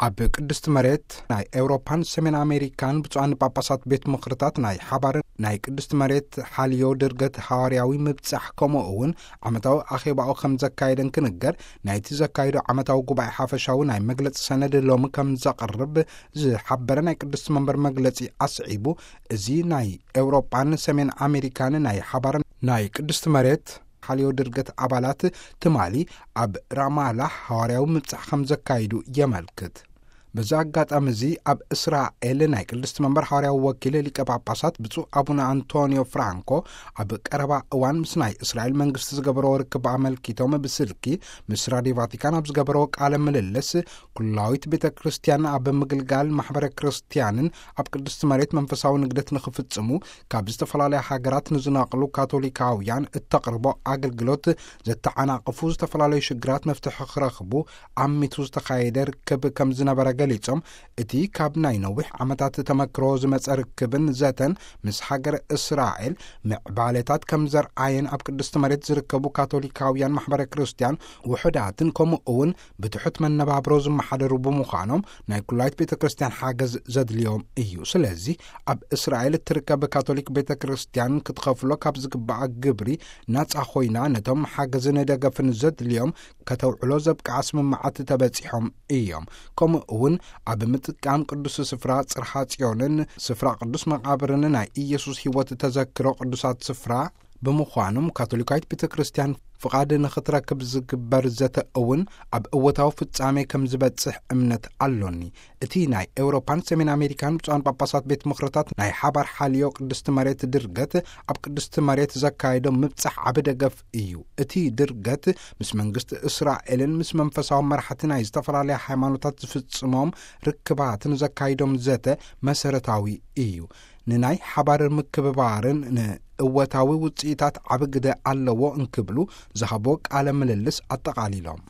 ኣብ ቅድስቲ መሬት ናይ ኤውሮፓን ሰሜን ኣሜሪካን ብፁዓን ጳጳሳት ቤት ምኽርታት ናይ ሓባርን ናይ ቅድስቲ መሬት ሓልዮ ድርገት ሃዋርያዊ ምብጻሕ፣ ከምኡ እውን ዓመታዊ ኣኼባኡ ከም ዘካየደን ክንገር፣ ናይቲ ዘካየዶ ዓመታዊ ጉባኤ ሓፈሻዊ ናይ መግለጺ ሰነድ ሎሚ ከም ዘቕርብ ዝሓበረ ናይ ቅድስቲ መንበር መግለጺ ኣስዒቡ፣ እዚ ናይ ኤውሮጳን ሰሜን ኣሜሪካን ናይ ሓባር ናይ ቅድስቲ መሬት ሓልዮ ድርገት ኣባላት ትማሊ ኣብ ራማላህ ሃዋርያዊ ምብጻሕ ከም ዘካይዱ የመልክት። በዚ ኣጋጣሚ እዚ ኣብ እስራኤል ናይ ቅድስቲ መንበር ሃዋርያዊ ወኪል ሊቀ ጳጳሳት ብፁዕ ኣቡነ ኣንቶኒዮ ፍራንኮ ኣብ ቀረባ እዋን ምስ ናይ እስራኤል መንግስቲ ዝገበረዎ ርክብ ኣመልኪቶም ብስልኪ ምስ ራድዮ ቫቲካን ኣብ ዝገበረዎ ቃለ ምልልስ፣ ኩላዊት ቤተ ክርስቲያን ኣብ ምግልጋል ማሕበረ ክርስቲያንን ኣብ ቅድስቲ መሬት መንፈሳዊ ንግደት ንኽፍጽሙ ካብ ዝተፈላለያ ሃገራት ንዝነቕሉ ካቶሊካውያን እተቕርቦ ኣገልግሎት ዘተዓናቕፉ ዝተፈላለዩ ሽግራት መፍትሒ ክረኽቡ ኣሚቱ ዝተኻየደ ርክብ ከም ዝነበረ ገሊጾም፣ እቲ ካብ ናይ ነዊሕ ዓመታት ተመክሮ ዝመጸ ርክብን ዘተን ምስ ሃገር እስራኤል ምዕባለታት ከም ዘርኣየን ኣብ ቅድስቲ መሬት ዝርከቡ ካቶሊካውያን ማሕበረ ክርስቲያን ውሑዳትን ከምኡ እውን ብትሑት መነባብሮ ዝመሓደሩ ብምዃኖም ናይ ኩላይት ቤተ ክርስቲያን ሓገዝ ዘድልዮም እዩ። ስለዚ ኣብ እስራኤል እትርከብ ካቶሊክ ቤተ ክርስቲያን ክትኸፍሎ ካብ ዝግባኣ ግብሪ ናጻ ኮይና ነቶም ሓገዝን ደገፍን ዘድልዮም ከተውዕሎ ዘብቅዓ ስምምዓት ተበጺሖም እዮም። ከምኡ እውን ኣብ ምጥቃም ቅዱስ ስፍራ ጽርሓ ጽዮንን ስፍራ ቅዱስ መቓብርን ናይ ኢየሱስ ሕይወት ተዘክሮ ቅዱሳት ስፍራ ብምዃኖም ካቶሊካዊት ቤተ ክርስቲያን ፍቓድ ንኽትረክብ ዝግበር ዘተ እውን ኣብ እወታዊ ፍጻሜ ከም ዝበጽሕ እምነት ኣሎኒ። እቲ ናይ ኤውሮፓን ሰሜን ኣሜሪካን ብፁዓን ጳጳሳት ቤት ምኽርታት ናይ ሓባር ሓልዮ ቅድስቲ መሬት ድርገት ኣብ ቅድስቲ መሬት ዘካየዶ ምብጻሕ ዓቢ ደገፍ እዩ። እቲ ድርገት ምስ መንግስቲ እስራኤልን ምስ መንፈሳዊ መራሕቲ ናይ ዝተፈላለያ ሃይማኖታት ዝፍጽሞም ርክባትን ዘካይዶም ዘተ መሰረታዊ እዩ። ንናይ ሓባር ምክብባርን ንእወታዊ ውጽኢታት ዓቢ ግደ ኣለዎ እንክብሉ ዝሃቦ ቃለ ምልልስ ኣጠቓሊሎም።